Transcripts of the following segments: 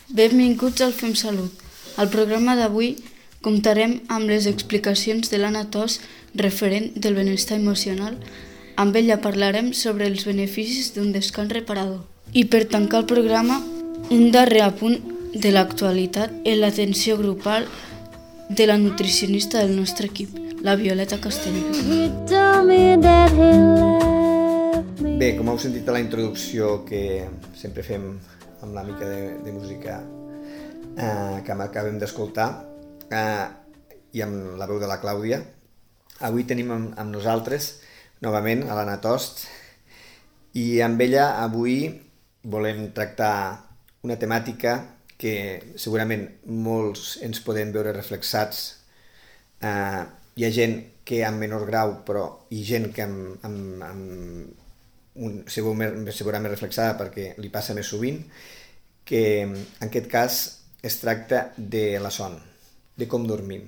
Benvinguts al Fem Salut. Al programa d'avui comptarem amb les explicacions de l'Anna Tos, referent del benestar emocional. Amb ella parlarem sobre els beneficis d'un descans reparador. I per tancar el programa, un darrer apunt de l'actualitat en l'atenció grupal de la nutricionista del nostre equip, la Violeta Castelló. Bé, com heu sentit a la introducció que sempre fem amb la mica de música que acabem d'escoltar i amb la veu de la Clàudia, avui tenim amb nosaltres novament a l'Anna Tost i amb ella avui volem tractar una temàtica que segurament molts ens podem veure reflexats. Hi ha gent que amb menor grau, però hi ha gent que segurament reflexada perquè li passa més sovint, que en aquest cas es tracta de la son, de com dormim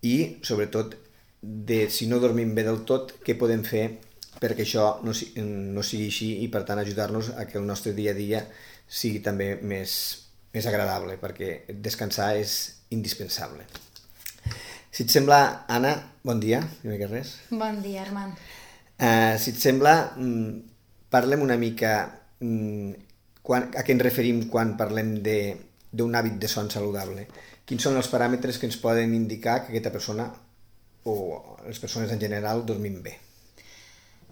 i sobretot de si no dormim bé del tot, què podem fer perquè això no sigui així i per tant ajudar-nos a que el nostre dia a dia sigui també més agradable, perquè descansar és indispensable. Si et sembla, Anna, bon dia, primer que res. Bon dia, Armand. Si et sembla, parlem una mica a què ens referim quan parlem d'un hàbit de son saludable. Quins són els paràmetres que ens poden indicar que aquesta persona o les persones en general dormim bé?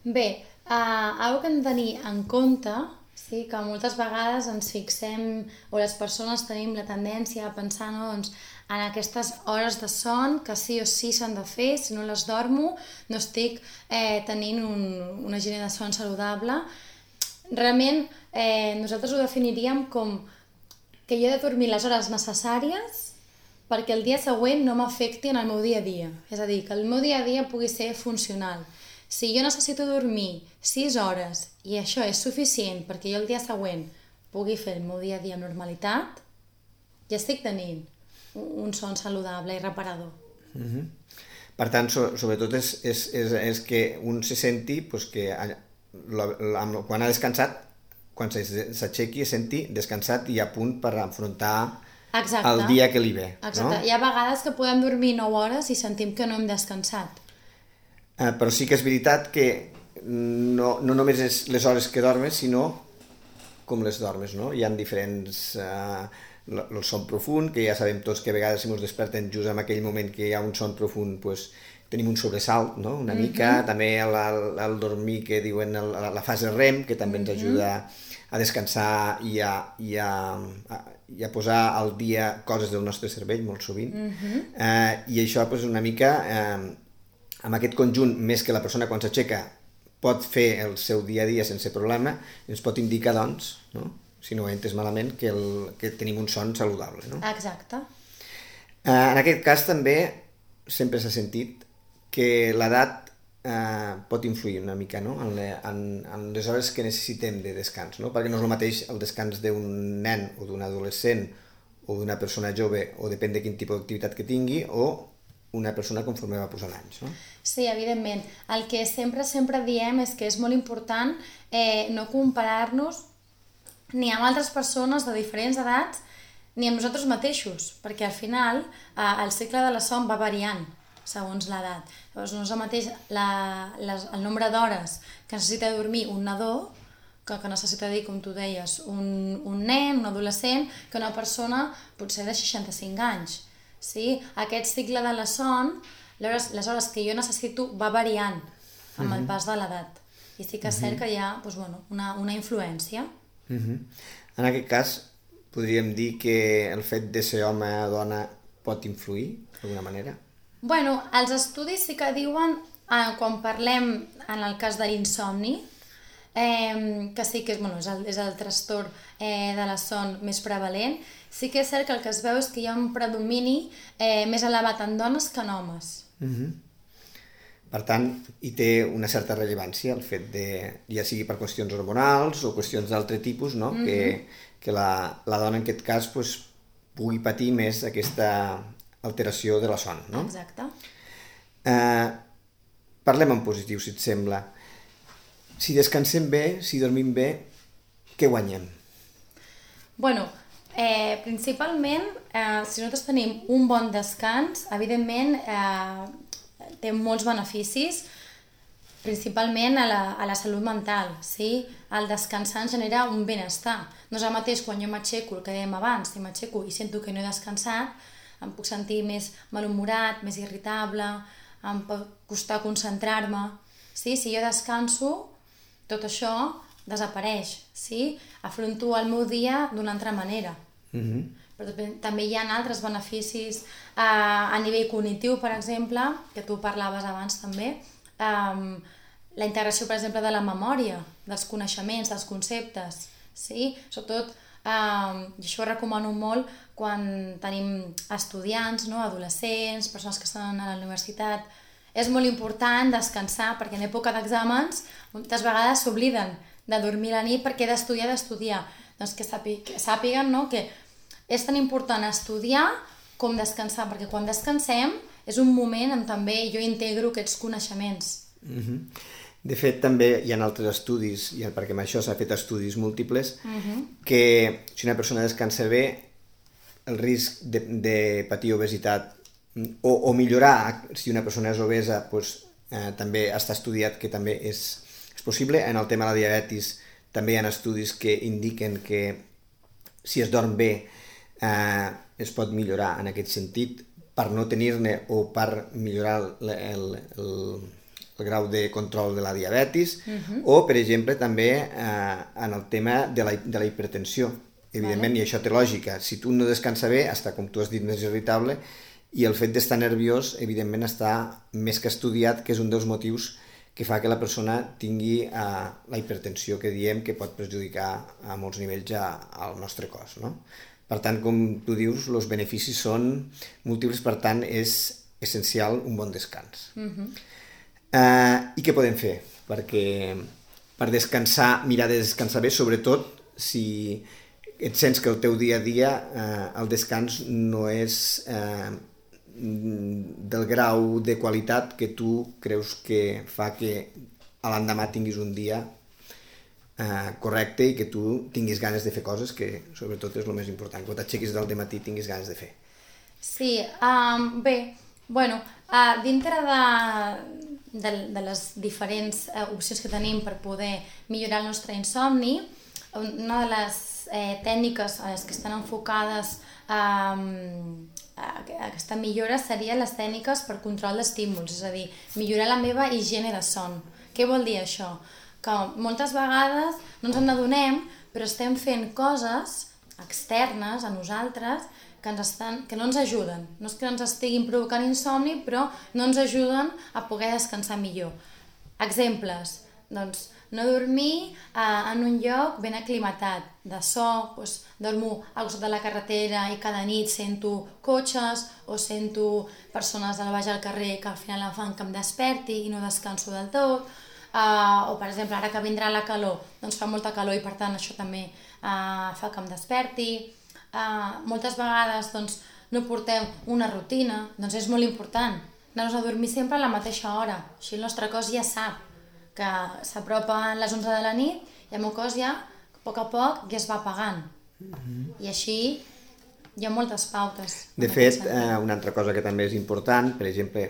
Bé, algo que hem de tenir en compte, sí, que moltes vegades ens fixem o les persones tenim la tendència a pensar en aquestes hores de son que sí o sí s'han de fer, si no les dormo no estic tenint una higiene de son saludable. Realment nosaltres ho definiríem com que jo he de dormir les hores necessàries perquè el dia següent no m'afecti en el meu dia a dia. És a dir, que el meu dia a dia pugui ser funcional. Si jo necessito dormir 6 hores i això és suficient perquè jo el dia següent pugui fer el meu dia a dia amb normalitat, ja estic tenint un son saludable i reparador. Per tant, sobretot és que un se senti que quan ha descansat, quan s'aixequi, es senti descansat i a punt per afrontar el dia que li ve. Exacte. No? Hi ha vegades que podem dormir 9 hores i sentim que no hem descansat. Però sí que és veritat que no només és les hores que dormes, sinó com les dormes, no? Hi ha diferents... el son profund, que ja sabem tots que a vegades si ens desperten just en aquell moment que hi ha un son profund, tenim un sobresalt, no? Una mica. També el dormir, que diuen la fase REM, que també ens ajuda a descansar i a posar al dia coses del nostre cervell, molt sovint. I això una mica... amb aquest conjunt, més que la persona quan s'aixeca pot fer el seu dia a dia sense problema, ens pot indicar, doncs, no? Si no ho he entès malament, que tenim un son saludable. No? Exacte. En aquest cas també sempre s'ha sentit que l'edat pot influir una mica, no? en les hores que necessitem de descans, no? Perquè no és el mateix el descans d'un nen o d'un adolescent o d'una persona jove, o depèn de quin tipus d'activitat que tingui, o una persona conforme va posant anys, no? Sí, evidentment. El que sempre diem és que és molt important no comparar-nos ni amb altres persones de diferents edats ni amb nosaltres mateixos, perquè al final el cicle de la son va variant segons l'edat. Llavors no és el mateix el nombre d'hores que necessita dormir un nadó que necessita dir, com tu deies, un nen, un adolescent, que una persona potser de 65 anys. Sí? Aquest cicle de la son, les hores que jo necessito va variant amb el pas de l'edat. I sí que és cert que hi ha una influència. En aquest cas, podríem dir que el fet de ser home o dona pot influir d'alguna manera? Bueno, els estudis sí que diuen, quan parlem en el cas de l'insomni, que sí que és el trastorn de la son més prevalent, sí que és cert que el que es veu és que hi ha un predomini més elevat en dones que en homes. Per tant, hi té una certa rellevància el fet de, ja sigui per qüestions hormonals o qüestions d'altre tipus, no? Que la dona en aquest cas pugui patir més aquesta alteració de la son, no? Exacte. Parlem en positiu, si et sembla. Si descansem bé, si dormim bé, què guanyem? Bueno, Principalment, si nosaltres tenim un bon descans, evidentment té molts beneficis, principalment a la salut mental, sí? El descansar ens genera un benestar. No és el mateix quan jo m'aixeco, el que dèiem abans, si m'aixeco i sento que no he descansat, em puc sentir més malhumorat, més irritable, em pot costar concentrar-me. Sí? Si jo descanso, tot això desapareix, sí? Afronto el meu dia d'una altra manera. Però també hi ha altres beneficis a nivell cognitiu, per exemple, que tu parlaves abans també, la integració, per exemple, de la memòria, dels coneixements, dels conceptes, sí? Sobretot, i això ho recomano molt quan tenim estudiants, no? Adolescents, persones que estan a la universitat. És molt important descansar, perquè en època d'exàmens moltes vegades s'obliden de dormir a la nit perquè he d'estudiar. Doncs que sàpiguen, no? Que és tan important estudiar com descansar, perquè quan descansem és un moment on també jo integro aquests coneixements. De fet, també hi ha altres estudis, perquè amb això s'ha fet estudis múltiples, que si una persona descansa bé, el risc de patir obesitat o millorar, si una persona és obesa, també està estudiat que també és possible. En el tema de la diabetis també hi ha estudis que indiquen que si es dorm bé es pot millorar en aquest sentit per no tenir-ne o per millorar el grau de control de la diabetis, o, per exemple, també en el tema de la hipertensió. Evidentment, i això té lògica, si tu no descansa bé, està, com tu has dit, més irritable, i el fet d'estar nerviós, evidentment, està més que estudiat, que és un dels motius que fa que la persona tingui la hipertensió que diem que pot perjudicar a molts nivells al nostre cos, no? Per tant, com tu dius, els beneficis són múltiples, per tant, és essencial un bon descans. I què podem fer? Perquè per descansar, mirar de descansar bé, sobretot si et sents que el teu dia a dia el descans no és del grau de qualitat que tu creus que fa que a l'endemà tinguis un dia correcte i que tu tinguis ganes de fer coses, que sobretot és el més important, quan t'aixequis del dematí tinguis ganes de fer. Sí, bé, bueno, dintre de les diferents opcions que tenim per poder millorar el nostre insomni, una de les tècniques a les que estan enfocades aquesta millora serien les tècniques per control d'estímuls, és a dir, millorar la meva higiene de son. Què vol dir això? Que moltes vegades no ens n'adonem, però estem fent coses externes a nosaltres que no ens ajuden. No és que ens estiguin provocant insomni, però no ens ajuden a poder descansar millor. Exemples, doncs, no dormir en un lloc ben aclimatat, de so, dormo al costat de la carretera i cada nit sento cotxes o sento persones al baix al carrer que al final em fan que em desperti i no descanso del tot, o per exemple ara que vindrà la calor, doncs fa molta calor i per tant això també fa que em desperti. Moltes vegades doncs, no portem una rutina, doncs és molt important anar-nos a dormir sempre a la mateixa hora, així el nostre cos ja sap que s'apropen les 11 de la nit i el meu cos ja, a poc ja es va apagant. I així hi ha moltes pautes. De fet, una altra cosa que també és important, per exemple,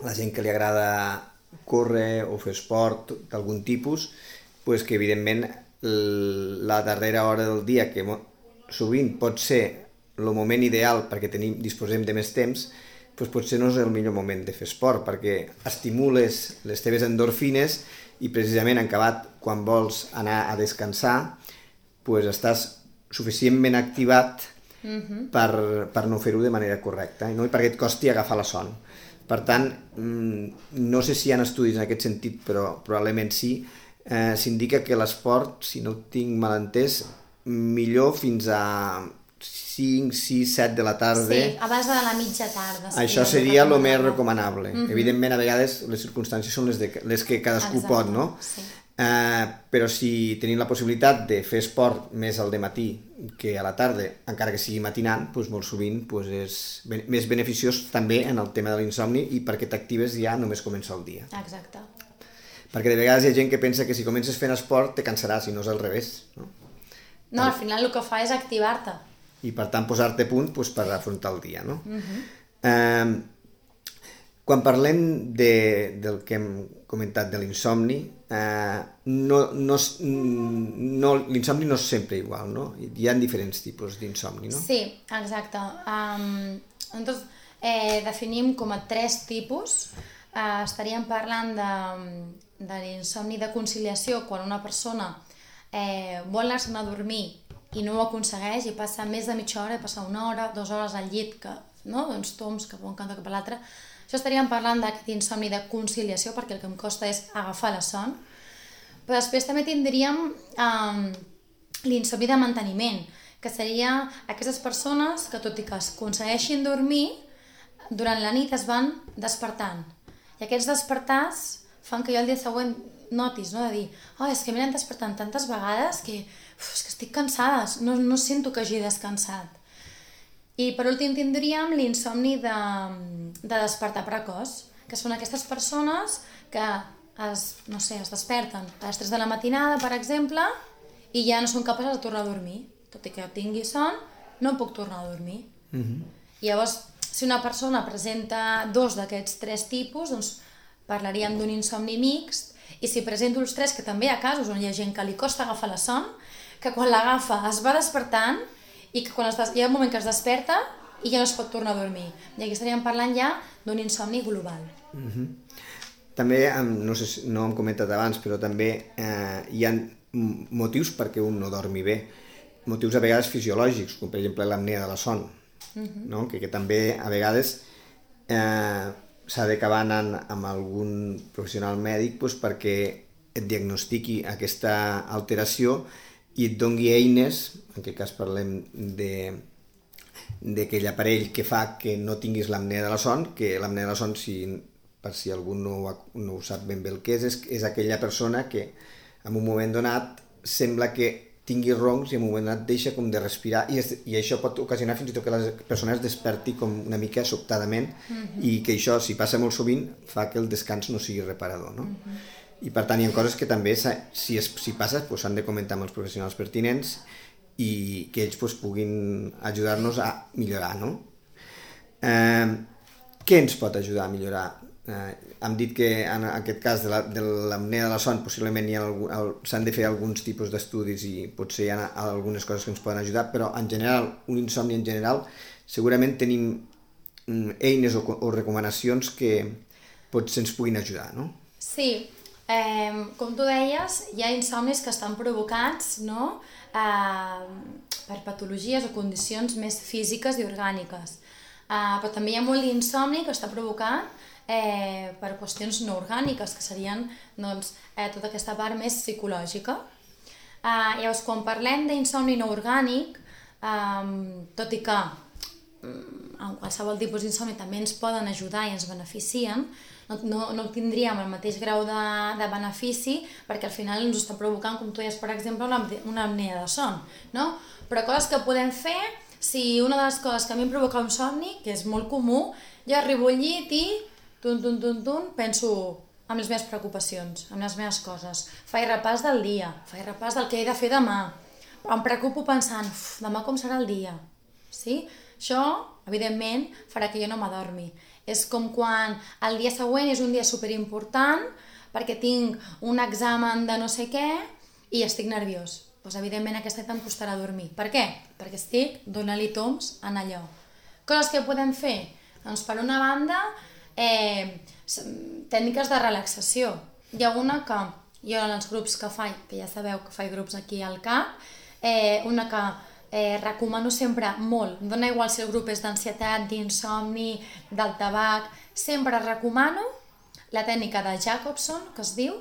la gent que li agrada córrer o fer esport d'algun tipus, que evidentment la darrera hora del dia, que sovint pot ser el moment ideal perquè disposem de més temps, potser no és el millor moment de fer esport, perquè estimules les teves endorfines i precisament en acabat, quan vols anar a descansar, estàs suficientment activat per no fer-ho de manera correcta, no? I perquè et costi agafar la son. Per tant, no sé si hi ha estudis en aquest sentit, però probablement sí, s'indica que l'esport, si no ho tinc mal entès, millor fins a 5, 6, 7 de la tarda. Sí, abans de la mitja tarda. Això seria el més recomanable. Evidentment, a vegades les circumstàncies són les que cadascú pot, no? Sí. Però si tenim la possibilitat de fer esport més al dematí que a la tarda, encara que sigui matinant, molt sovint és més beneficiós també en el tema de l'insomni i perquè t'actives ja només comença el dia. Exacte. Perquè de vegades hi ha gent que pensa que si comences fent esport te cansaràs, i no és al revés, no? No, al final el que fa és activar-te. i per tant posar-te a punt per afrontar el dia, no? Quan parlem del que hem comentat de l'insomni, l'insomni no és sempre igual, no? Hi ha diferents tipus d'insomni, no? Sí, exacte. Nosaltres definim com a 3 tipus. Estaríem parlant de l'insomni de conciliació, quan una persona vol anar-se'n a dormir i no ho aconsegueix i passa més de mitja hora, passa 1 hora, 2 hores al llit, doncs toms cap a un cantó cap a l'altre. Això estaríem parlant d'aquest insomni de conciliació, perquè el que em costa és agafar la son. Però després també tindríem l'insomni de manteniment, que seria aquestes persones que, tot i que es aconsegueixin dormir, durant la nit es van despertant. I aquests despertars fan que jo el dia següent notis, no? De dir, és que m'he anat despertant tantes vegades que estic cansada, no sento que hagi descansat. I per últim tindríem l'insomni de despertar precoç, que són aquestes persones que es desperten a les 3 de la matinada, per exemple, i ja no són capaces de tornar a dormir. Tot i que tingui son, no puc tornar a dormir. Llavors, si una persona presenta 2 d'aquests 3 tipus, doncs parlaríem d'un insomni mixt, i si presento els 3, que també hi ha casos on hi ha gent que li costa agafar la son, que quan l'agafa es va despertant, i que quan hi ha un moment que es desperta i ja no es pot tornar a dormir. I aquí estaríem parlant ja d'un insomni global. També, no sé si no hem comentat abans, però també hi ha motius perquè un no dormi bé. Motius a vegades fisiològics, com per exemple l'apnea de la son, no? que també a vegades s'ha d'acabar anant amb algun professional mèdic perquè et diagnostiqui aquesta alteració i et doni eines, en aquest cas parlem d'aquell aparell que fa que no tinguis l'apnea de la son, que l'apnea de la son, per si algú no ho sap ben bé el que és aquella persona que en un moment donat sembla que tingui roncs i en un moment donat deixa com de respirar i això pot ocasionar fins i tot que la persona es desperti com una mica sobtadament i que això, si passa molt sovint, fa que el descans no sigui reparador, no? I per tant hi ha coses que també, si passa, s'han de comentar amb els professionals pertinents i que ells puguin ajudar-nos a millorar, no? Què ens pot ajudar a millorar? Hem dit que en aquest cas de l'apnea de la son possiblement s'han de fer alguns tipus d'estudis i potser hi ha algunes coses que ens poden ajudar, però en general, un insomni en general, segurament tenim eines o recomanacions que potser ens puguin ajudar, no? Sí. Com tu deies, hi ha insomnis que estan provocats, no? Per patologies o condicions més físiques i orgàniques. Però també hi ha molt d'insomni que està provocat per qüestions no orgàniques, que serien tota aquesta part més psicològica. Llavors, quan parlem d'insomni no orgànic, tot i que en qualsevol tipus d'insomni també ens poden ajudar i ens beneficien, no tindríem el mateix grau de benefici perquè al final ens ho està provocant, com tu deies, per exemple, una apnea de son, no? Però coses que podem fer, si una de les coses que a mi em provoca un somni, que és molt comú, jo arribo al llit i penso en les meves preocupacions, en les meves coses, faig repàs del dia, faig repàs del que he de fer demà, em preocupo pensant, demà com serà el dia, sí? Això, evidentment, farà que jo no m'adormi. És com quan el dia següent és un dia superimportant perquè tinc un examen de no sé què i estic nerviós. Doncs evidentment aquesta nit em costarà dormir. Per què? Perquè estic donant-li toms en allò. Coses que podem fer? Doncs per una banda, tècniques de relaxació. Hi ha una que jo en els grups que faig, que ja sabeu que faig grups aquí al CAP, una que recomano sempre molt, em dona igual si el grup és d'ansietat, d'insomni, del tabac, sempre recomano la tècnica de Jacobson, que es diu,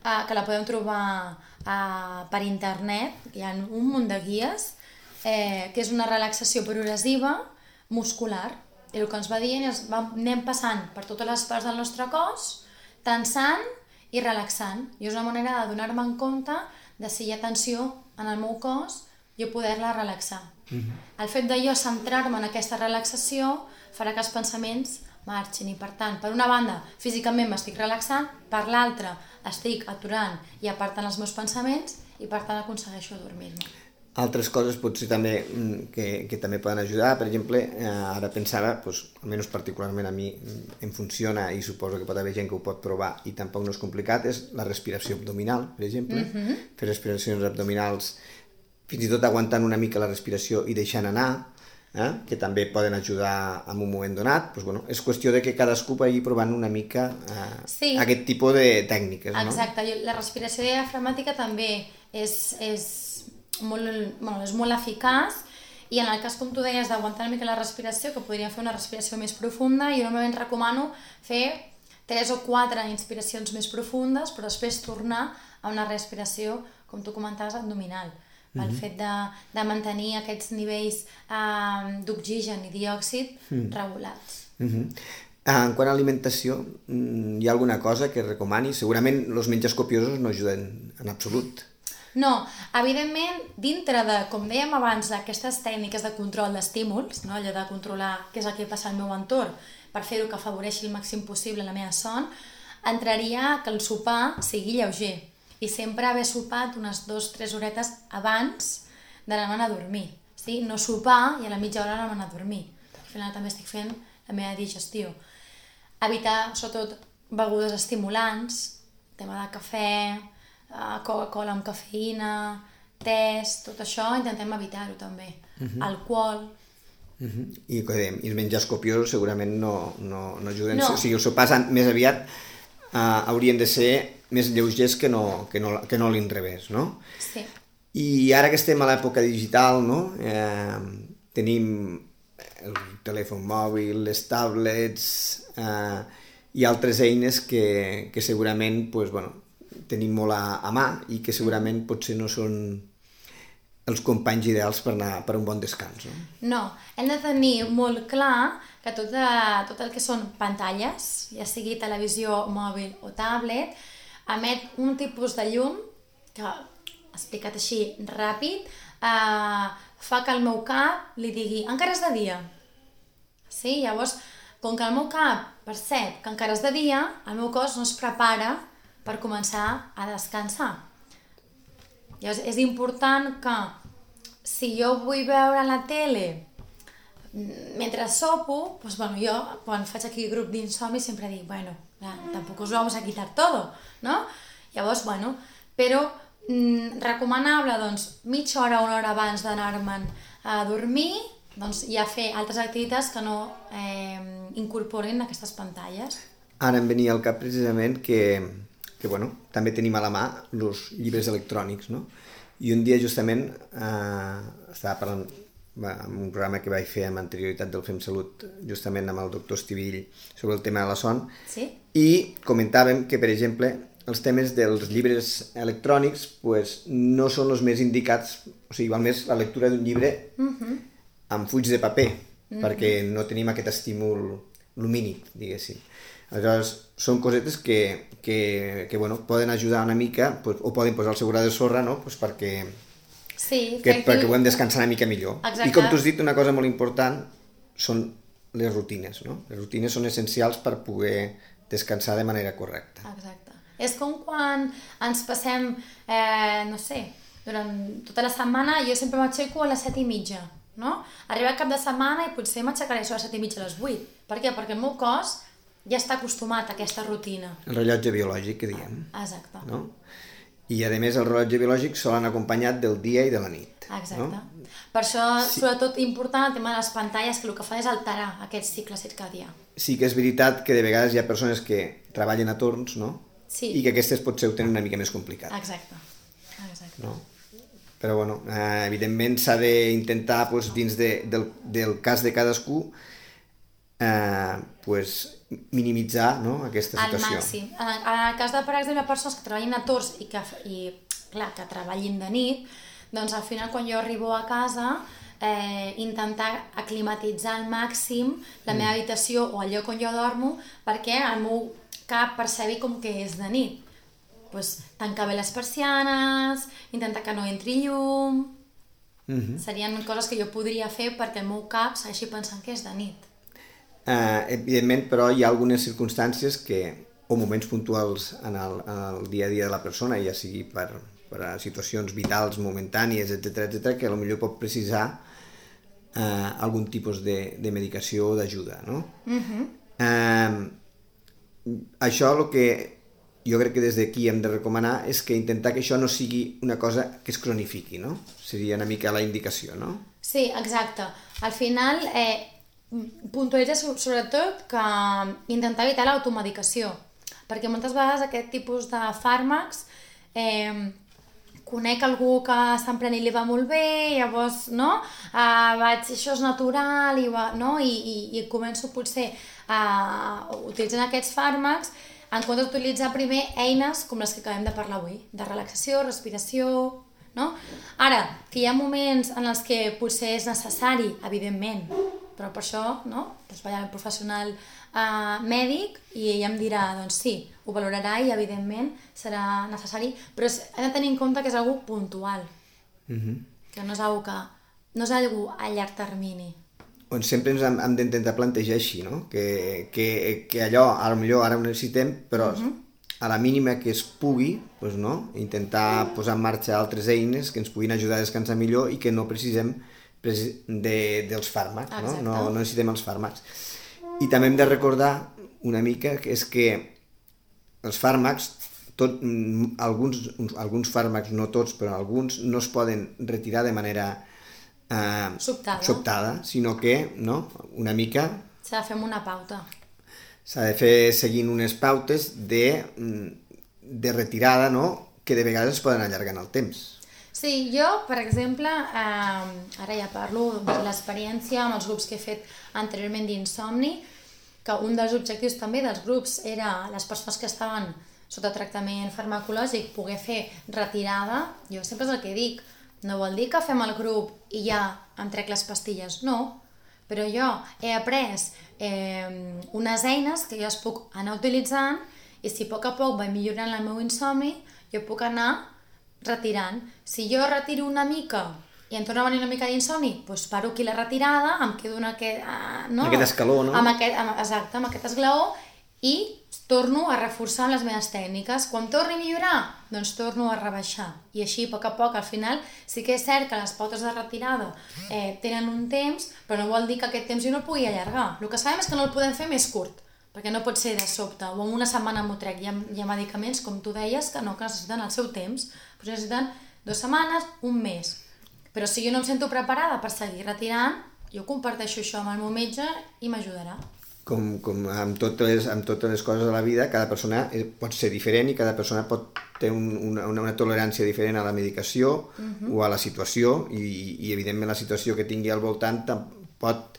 que la podem trobar per internet, hi ha un munt de guies, que és una relaxació progressiva muscular, i el que ens va dient és anem passant per totes les parts del nostre cos, tensant i relaxant, i és una manera de donar-me en compte de si hi ha tensió en el meu cos i poder-la relaxar. El fet de jo centrar-me en aquesta relaxació farà que els pensaments marxin i per tant, per una banda, físicament m'estic relaxant, per l'altra estic aturant i apartant els meus pensaments i per tant aconsegueixo dormir-me. Altres coses potser també que també poden ajudar, per exemple, ara pensava, almenys particularment a mi em funciona i suposo que pot haver gent que ho pot provar i tampoc no és complicat, és la respiració abdominal, per exemple, fer respiracions abdominals, fins i tot aguantant una mica la respiració i deixant anar, que també poden ajudar en un moment donat. És qüestió de que cadascú vagi provant una mica aquest tipus de tècniques. Exacte, la respiració diafragmàtica també és molt eficaç, i en el cas, com tu deies, d'aguantar una mica la respiració, que podríem fer una respiració més profunda, jo normalment recomano fer 3 o 4 inspiracions més profundes, però després tornar a una respiració, com tu comentaves, abdominal, pel fet de mantenir aquests nivells d'oxigen i diòxid regulats. En quant a alimentació, hi ha alguna cosa que recomani? Segurament els menjars copiosos no ajuden en absolut. No, evidentment, dintre de, com dèiem abans, d'aquestes tècniques de control d'estímuls, no? Allò de controlar què és el que passa al meu entorn per fer-ho que afavoreixi el màxim possible la meva son, entraria que el sopar sigui lleuger i sempre haver sopat unes 2-3 horetes abans d'anar-me'n a dormir. Sí? No sopar i a la mitja hora anar-me'n a dormir. Al final també estic fent la meva digestió. Evitar, sobretot, begudes estimulants, tema de cafè, Coca-Cola amb cafeïna, tés, tot això intentem evitar-ho també. Alcohol. I els menjars copiosos segurament no ajuden. O sigui, els sopars més aviat haurien de ser més lleugers que no l'inrevés, no? Sí. I ara que estem a l'època digital, no? Tenim el telèfon mòbil, les tablets i altres eines que segurament tenim molt a mà i que segurament potser no són els companys ideals per anar per un bon descans. No, hem de tenir molt clar que tot el que són pantalles, ja sigui televisió, mòbil o tablet, emet un tipus de llum que, explicat així ràpid, fa que el meu cap li digui encara és de dia. Sí? Llavors, com que el meu cap percep que encara és de dia, el meu cos no es prepara per començar a descansar. Llavors, és important que si jo vull veure la tele mentre sopo, jo quan faig aquí grup d'insomni sempre dic, tampoc us vamos a quitar todo, ¿no? Llavors, però recomanable, mitja hora o una hora abans d'anar-me'n a dormir, ja fer altres activitats que no incorporin aquestes pantalles. Ara em venia al cap precisament que també tenim a la mà els llibres electrònics, no? I un dia justament estava parlant en un programa que vaig fer amb anterioritat del FemSalut, justament amb el doctor Estivill, sobre el tema de la son, i comentàvem que, per exemple, els temes dels llibres electrònics no són els més indicats, o sigui, val més la lectura d'un llibre amb fulls de paper, perquè no tenim aquest estímul lumínic, diguéssim. Aleshores, són cosetes que poden ajudar una mica, o poden posar el seu gra de sorra, no? Perquè puguem descansar una mica millor. Exacte. I com tu has dit, una cosa molt important són les rutines, no? Les rutines són essencials per poder descansar de manera correcta. Exacte. És com quan ens passem, durant tota la setmana, jo sempre m'aixeco a les 7:30, no? Arriba el cap de setmana i potser m'aixecaré a les 7:30 a les 8. Per què? Perquè el meu cos ja està acostumat a aquesta rutina. El rellotge biològic, que diem. Exacte. No? I, a més, el rellotge biològic sol anar acompanyat del dia i de la nit. Exacte. No? Per això, sobretot important, el tema de les pantalles, que el que fan és alterar aquest cicle circadià. Sí que és veritat que de vegades hi ha persones que treballen a torns, no? Sí. I que aquestes potser ho tenen una mica més complicat. Exacte. No? Però, evidentment s'ha d'intentar, dins del cas de cadascú, minimitzar, no, aquesta situació. Al màxim. En el cas de, per exemple, persones que treballin a torns i que treballin de nit, doncs al final quan jo arribo a casa intentar aclimatitzar al màxim la meva habitació o el lloc on jo dormo perquè el meu cap percebi com que és de nit. Tancar bé les persianes, intentar que no entri llum... Serien coses que jo podria fer perquè el meu cap segueixi pensant que és de nit. Evidentment, però hi ha algunes circumstàncies o moments puntuals en el dia a dia de la persona, ja sigui per per a situacions vitals, momentànies, etc., que potser pot precisar algun tipus de medicació o d'ajuda, no? Això el que jo crec que des d'aquí hem de recomanar és que intentar que això no sigui una cosa que es cronifiqui, no? Seria una mica la indicació, no? Sí, exacte. Al final, puntualitza sobretot que intentar evitar l'automedicació, perquè moltes vegades aquest tipus de fàrmacs conec algú que està emprenent i li va molt bé, llavors, no? Això és natural, i començo potser utilitzant aquests fàrmacs en comptes d'utilitzar primer eines com les que acabem de parlar avui, de relaxació, respiració, no? Ara, que hi ha moments en els que potser és necessari, evidentment, però per això, no? Doncs vaig al professional mèdic i ell em dirà, doncs sí, ho valorarà i evidentment serà necessari, però hem de tenir en compte que és algo puntual, que no és algo a llarg termini. On sempre ens hem d'intentar plantejar així, no? Que allò, potser ara ho necessitem, però a la mínima que es pugui, doncs, no? Intentar posar en marxa altres eines que ens puguin ajudar a descansar millor i que no precisem dels fàrmacs, no? No necessitem els fàrmacs. I també hem de recordar una mica que és que els fàrmacs, alguns fàrmacs, no tots, però alguns, no es poden retirar de manera sobtada, sinó que, no, una mica... S'ha de fer amb una pauta. S'ha de fer seguint unes pautes de retirada, no?, que de vegades es poden allargar en el temps. Sí, jo, per exemple, ara ja parlo de l'experiència amb els grups que he fet anteriorment d'insomni, que un dels objectius també dels grups era les persones que estaven sota tractament farmacològic poder fer retirada. Jo sempre és el que dic, no vol dir que fem el grup i ja em trec les pastilles, no, però jo he après unes eines que jo es puc anar utilitzant i si a poc vaig millorant el meu insomni, jo puc anar retirant. Si jo retiro una mica i em torna a venir una mica d'insomni, doncs paro aquí la retirada, em quedo en aquest escaló, no? Exacte, amb aquest esglaó i torno a reforçar les meves tècniques. Quan torni a millorar, doncs torno a rebaixar. I així, a poc, al final, sí que és cert que les pautes de retirada tenen un temps, però no vol dir que aquest temps jo no el pugui allargar. El que sabem és que no el podem fer més curt, perquè no pot ser de sobte, o en una setmana m'ho trec. Hi ha medicaments, com tu deies, que necessiten el seu temps, però necessiten 2 setmanes, un mes. Però si jo no em sento preparada per seguir retirant, jo comparteixo això amb el meu metge i m'ajudarà. Com amb totes les coses de la vida, cada persona pot ser diferent i cada persona pot tenir una tolerància diferent a la medicació o a la situació i evidentment la situació que tingui al voltant pot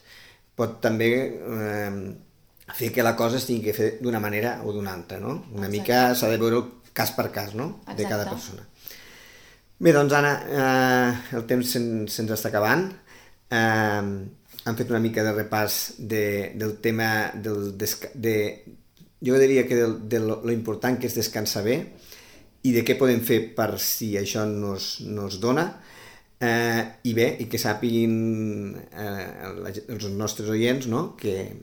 també fer que la cosa es tingui que fer d'una manera o d'una altra, no? Una mica s'ha de veure cas per cas, no? De cada persona. Bé, doncs Anna, el temps se'ns està acabant. Han fet una mica de repàs del tema jo diria que de lo important que és descansar bé i de què podem fer per si això nos dona i bé, i que sàpiguin els nostres oients, no? Que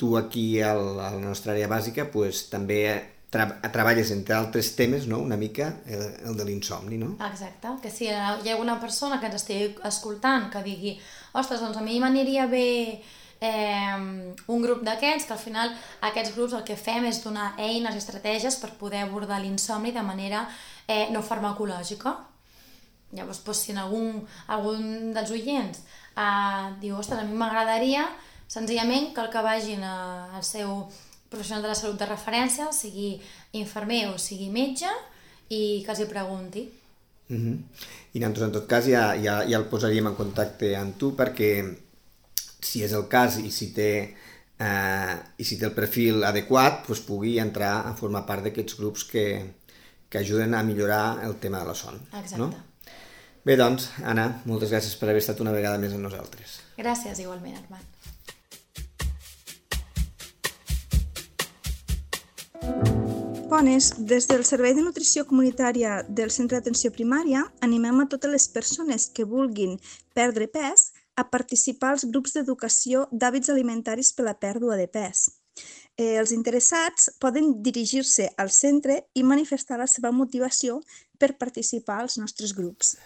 tu aquí a la nostra àrea bàsica pues, també treballes entre altres temes, no? Una mica el de l'insomni, no? Exacte, que si hi ha alguna persona que ens estigui escoltant que digui ostres, doncs a mi m'aniria bé un grup d'aquests, que al final aquests grups el que fem és donar eines i estratègies per poder abordar l'insomni de manera no farmacològica. Llavors, doncs, si algun dels oients diu, ostres, a mi m'agradaria senzillament que el que vagin al seu professional de la salut de referència, sigui infermer o sigui metge, i que els hi pregunti. I nosaltres, en tot cas, ja el posaríem en contacte amb tu perquè, si és el cas i si té el perfil adequat, doncs pugui entrar a formar part d'aquests grups que ajuden a millorar el tema de la son. Exacte. No? Bé, doncs, Anna, moltes gràcies per haver estat una vegada més amb nosaltres. Gràcies, igualment, Armand. Bones, des del Servei de Nutrició Comunitària del Centre d'Atenció Primària animem a totes les persones que vulguin perdre pes a participar als grups d'educació d'hàbits alimentaris per la pèrdua de pes. Els interessats poden dirigir-se al centre i manifestar la seva motivació per participar als nostres grups.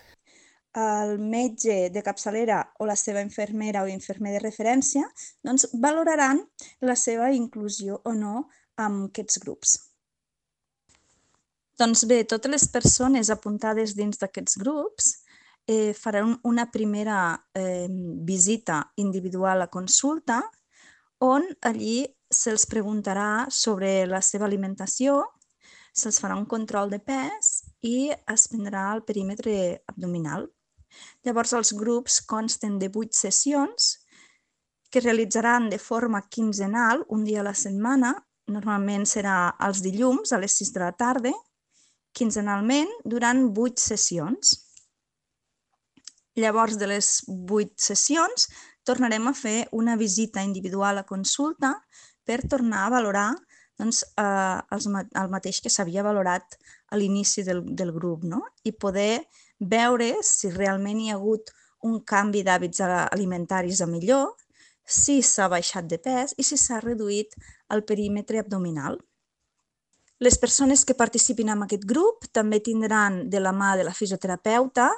El metge de capçalera o la seva infermera o infermer de referència doncs, valoraran la seva inclusió o no en aquests grups. Doncs bé, totes les persones apuntades dins d'aquests grups faran una primera visita individual a consulta on allí se'ls preguntarà sobre la seva alimentació, se'ls farà un control de pes i es prendrà el perímetre abdominal. Llavors, els grups consten de 8 sessions que es realitzaran de forma quinzenal, un dia a la setmana, normalment serà els dilluns a les 6 de la tarda, quinzenalment durant 8 sessions. Llavors, de les 8 sessions, tornarem a fer una visita individual a consulta per tornar a valorar el mateix que s'havia valorat a l'inici del grup, no? I poder veure si realment hi ha hagut un canvi d'hàbits alimentaris a millor, si s'ha baixat de pes i si s'ha reduït el perímetre abdominal. Les persones que participin en aquest grup també tindran de la mà de la fisioterapeuta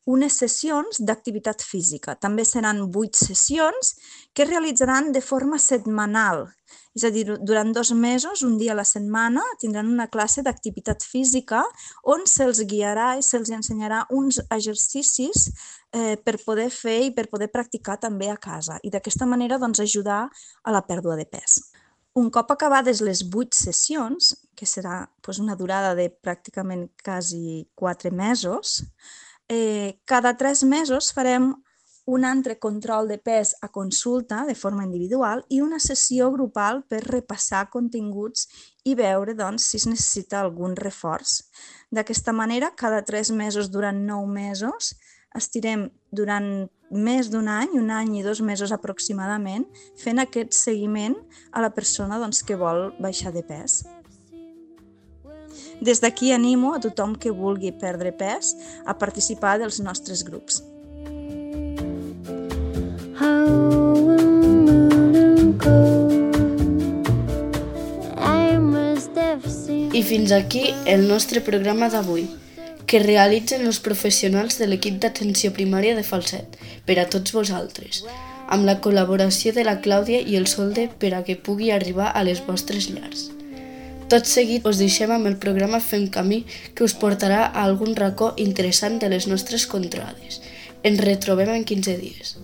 unes sessions d'activitat física. També seran 8 sessions que es realitzaran de forma setmanal. És a dir, durant 2 mesos, un dia a la setmana, tindran una classe d'activitat física on se'ls guiarà i se'ls ensenyarà uns exercicis per poder fer i per poder practicar també a casa. I d'aquesta manera ajudar a la pèrdua de pes. Un cop acabades les 8 sessions, que serà una durada de pràcticament quasi 4 mesos, cada 3 mesos farem un altre control de pes a consulta de forma individual i una sessió grupal per repassar continguts i veure si es necessita algun reforç. D'aquesta manera, cada 3 mesos durant 9 mesos, estirem durant més d'un any, 1 any i 2 mesos aproximadament, fent aquest seguiment a la persona que vol baixar de pes. Des d'aquí animo a tothom que vulgui perdre pes a participar dels nostres grups. I fins aquí el nostre programa d'avui, que realitzen els professionals de l'equip d'atenció primària de Falset per a tots vosaltres, amb la col·laboració de la Clàudia i el Solde per a que pugui arribar a les vostres llars. Tot seguit us deixem amb el programa Fem Camí, que us portarà a algun racó interessant de les nostres contrades. Ens retrobem en 15 dies.